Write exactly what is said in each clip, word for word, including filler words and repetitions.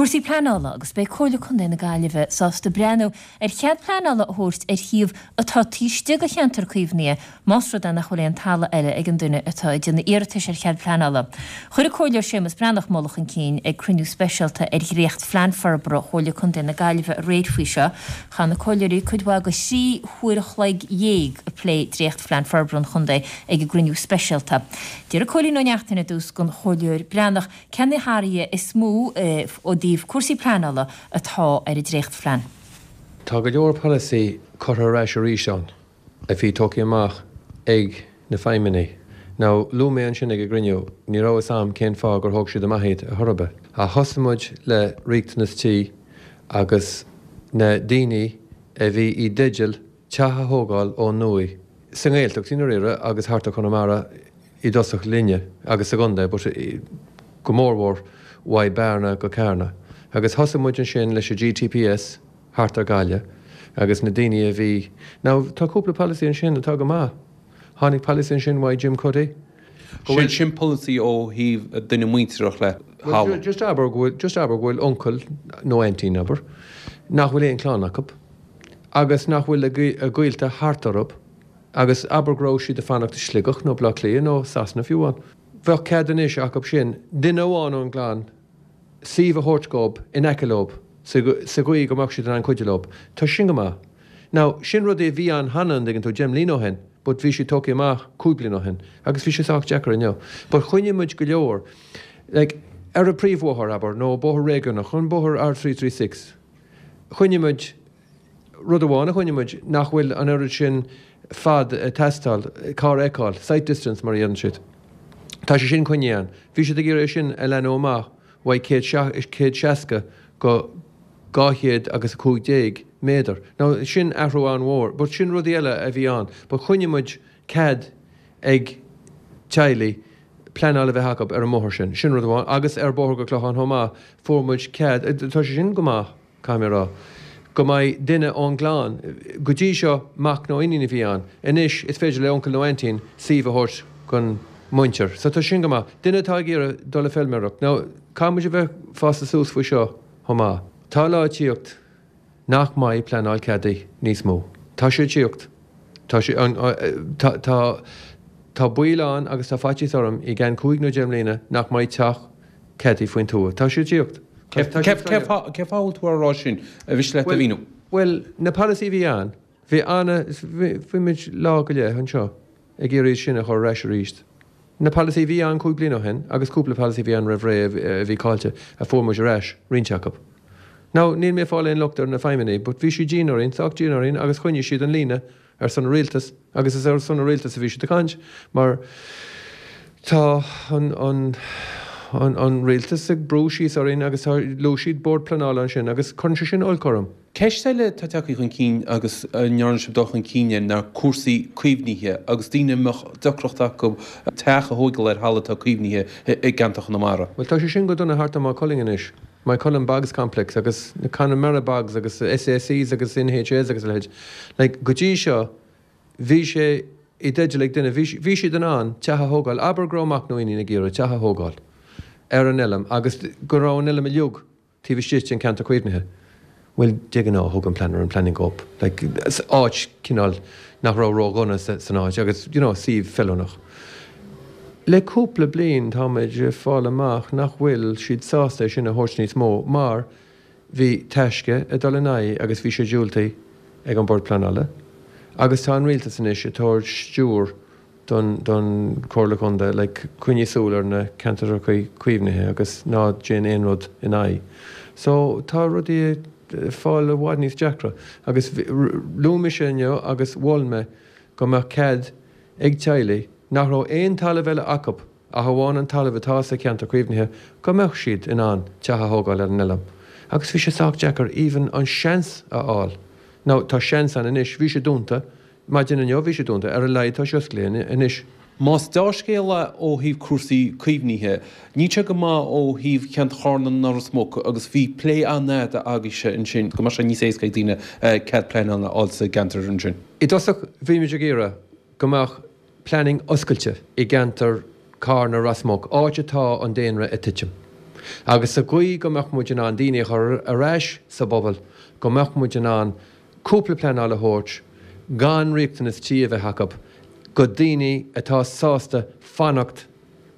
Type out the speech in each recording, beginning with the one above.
Cúrsaí pleanála agus beidh Comhairle Contae na Gaillimhe sásta breathnú ar chead pleanála a thabhairt ar shuíomh atá taobh istigh de cheantar caomhnaithe más rud é nach bhfuil aon talamh eile ag an duine atá ag déanamh iarratais ar chead pleanála. Chuir an Comhairleoir Séamus Breathnach moladh chun cinn ag cruinniú speisialta ar dhréachtphlean forbartha Chomhairle Contae na Gaillimhe aréir faoi seo. Chaith na comhairleoirí cuid mhaith de thrí huair a chloig dhéag ag plé dréachtphlean forbartha an chontae ag an gcruinniú speisialta. D'iarr Cóilín Ó Neachtain ar dtús den Chomhairleoir Breathnach cé na hathruithe is mó ó thaobh cúrsaí pleanála atá ar an dréachtphlean. Tá go leor polasaí curtha ar ais arís ann a bhí tógtha amach ag na feidhmeannaigh. Now luaigh mé ansin ag an gcruinniú, ní raibh fhios a'm cén fáth gur thóg siad amach iad ar chor ar bith. Ach thosaigh muid le riachtanas tí agus na daoine a bhí i dteideal teach a thógáil ó nua sa nGaeltacht i ndáiríre agus thart ar Chonamara i dtosach linne agus sa gcontae but go mórmhór uaidh Bearna go Carna. Agus thosaigh muid ansin leis an GTPS thart ar Gaillimh agus na daoine a bhí. Now tá cúpla polasaí ansin atá go maith. Tháinig polasaí ansin uaidh Jim Cuddy. Go bhfuil sin polasaí ó thaobh duine muintearach le thalamh. Just abair go bhfuil just abair go bhfuil uncail nó aintín abair nach bhfuil aon chlann acu agus nach bhfuil a gaolta thart orthu agus abair go raibh siad ag fanacht i Sligeach nó Baile Átha Cliath nó Sasana fiú amháin. Bheadh cead anois acu sin duine amháin ón gclann suíomh a thabhairt dóibh in aice leo sa gcaoi go mbeadh siad in ann cuidiú leo. Tá sin go maith. Now sin rudaí a bhí ann cheana an dtuigeann tú deich mbliana ó shin but bhí siad tógtha amach cúig bliana ó shin agus bhí sé sách deacair inniu. But choinnigh muid go leor like ar an príomhbhóthar abair nó bóthar réigiúnach an bóthar R three three six choinnigh muid rud amháin a choinnigh muid nach bhfuil an oiread sin fad ag teastáil carr a fheiceáil sight distance mar a deireann siad. Tá sé sin coinnithe ann. Bhí siad ag iarraidh é sin a leathnú amach uaidh céad seasca go dhá chéad agus a cúig déag méadar. Now sin athrú an-mhór, but sin rudaí eile a bhí ann. But choinnigh muid cead ag teaghlaigh pleanáil a bheith acu ar an mbóthar sin. Sin rud amháin. Agus ar bóthar go Clochán chomh maith, fuair muid cead, tá sé sin go maith, caithfidh mé a rá, go mbeidh duine ón gclann, go dtí seo mac nó iníon a bhí ann, anois is féidir le uncail nó aintín suíomh a thabhairt don mhuintir. So tá sin go maith. Duine atá ag iarraidh dul ag feilméaracht. Now caithfidh muid a bheith fásta suas faoi seo chomh maith. Tá lá ag tíocht nach mbeidh pleanáil ceadaithe níos mó. Tá sé ag tíocht. Tá sé, tá, tá, tá baol ann agus tá faitíos orm i gceann cúig nó deich mbliana nach mbeidh teach ceadaithe faoin tuath. Tá sé ag tíocht. Cé fáth a bhfuil tú á rá sin? Ar mhiste leat a mhíniú? Bhuel, na polasaí a bhí ann, bhí ana, bhí muid lá go leith anseo ag iarraidh sin a chur ar ais arís. Na polasaí a bhí ann cúig bliana ó shin agus cúpla polasaí a bhí ann roimh ré a bhí caillte a fuair muid ar ais, roinnt acu. Now, níl mé ag fáil aon locht ar na feidhmeannaigh but bhí siad dian orainn, sách dian orainn agus choinnigh siad an líne ar son an rialtais agus is ar son an rialtais a bhí siad ag caint mar tá an, an, an, an rialtas ag brú síos orainn agus tá, luaigh siad bord pleanála ansin agus cuireann sé sin olc orm. Ceist eile atá tagtha chun cinn agus a ndearna sibh dul chun cinn air ná cúrsaí caomhnaithe agus daoine a mbeadh deacracht acu teach a thógáil ar thalamh atá caomhnaithe i gceantar Chonamara. Bhuel, tá sé sin go dona thart ar Maigh Cuilinn anois, Moycullen Bogs Complex agus na Connemara Bogs agus SACs agus NHAs agus a leithéid. Like, go dtí seo, bhí sé i dteideal ag duine, bhí, bhí siad in ann teach a thógáil, abair go raibh mac nó iníon ag iarraidh teach a thógáil ar an oileán agus go raibh an oileán uilig taobh istigh den ceantar caomhnaithe. Bhuel, de ghnáth thug an planner an planning dhóibh, like, áit cineál nach raibh ródhona san áit agus, you know, suíomh feiliúnach. Le cúpla bliain táimid ag fáil amach nach bhfuil siad sásta é sin a thabhairt níos mó mar bhí Taisce ag dul in aghaidh agus bhí sé diúltaithe ag an Bord Pleanála agus tá an rialtas anois ag tabhairt stiúir don don Chomhairle Contae like coinnigh súil ar na ceantracha caomhnaithe agus ná déan aon rud in aghaidh. So tá rudaí ag fáil i bhfad níos deacra agus luaigh mise inniu agus mhol mé go mbeadh cead ag teaghlaigh nach raibh aon talamh eile acu ach amháin an talamh atá sa cheantar caomhnaithe go mbeadh siad in ann teach a thógáil ar an oileán. Agus bhí sé sách deacair even an seans a fháil. Now tá seans ann anois, bhí sé dúnta, maidin inniu bhí sé dúnta, ar a laghad tá sé oscailte anois. Más dea-scéal é ó thaobh cúrsaí caomhnaithe, níl sé go maith ó thaobh cheantar Charna ná Ros Muc agus bhí plé an-fhada agaibhse ansin go mbeadh sé níos éasca ag daoine cead pleanála a fháil sa gceantar ansin. I dtosach bhí muid ag iarraidh go mbeadh planning oscailte i gceantar Carna Ros Muc, áit atá an daonra ag titim. Agus sa gcaoi go mbeadh muid in ann daoine a chur ar ais sa bpobal, go mbeadh muid in ann cúpla pleanáil a thabhairt gan riachtanas tí a bheith acu go daoine atá sásta fanacht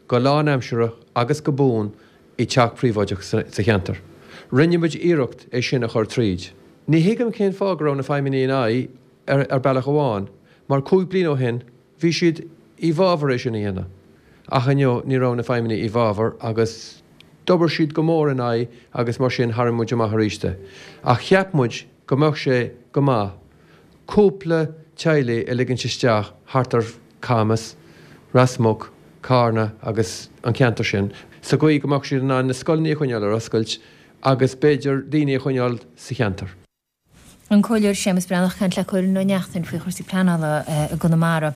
go lánaimseartha agus go buan i dteach príobháideach sa cheantar. Rinne muid iarracht é sin a chur tríd. Ní thuigim cén fáth go raibh na feidhmeannaigh in aghaidh ar bealach amháin, mar cúig bliana ó shin bhí siad i bhfabhar é sin a dhéanamh. Ach inniu ní raibh na feidhmeannaigh i bhfabhar agus d'obair siad go mór in aghaidh agus mar sin tharraing muid amach arís é. Ach cheap muid go mbeadh sé go maith cúpla teaghlaigh a ligint isteach thart ar Camas, Ros Muc, Carna agus an ceantar sin, sa gcaoi go mbeadh siad in ann na scoileanna a choinneáil ar oscailt agus b'fhéidir daoine a choinneáil sa cheantar. An Comhairleoir Séamus Breathnach ag caint le Cóilín Ó Neachtain faoi chúrsaí pleanála i gConamara.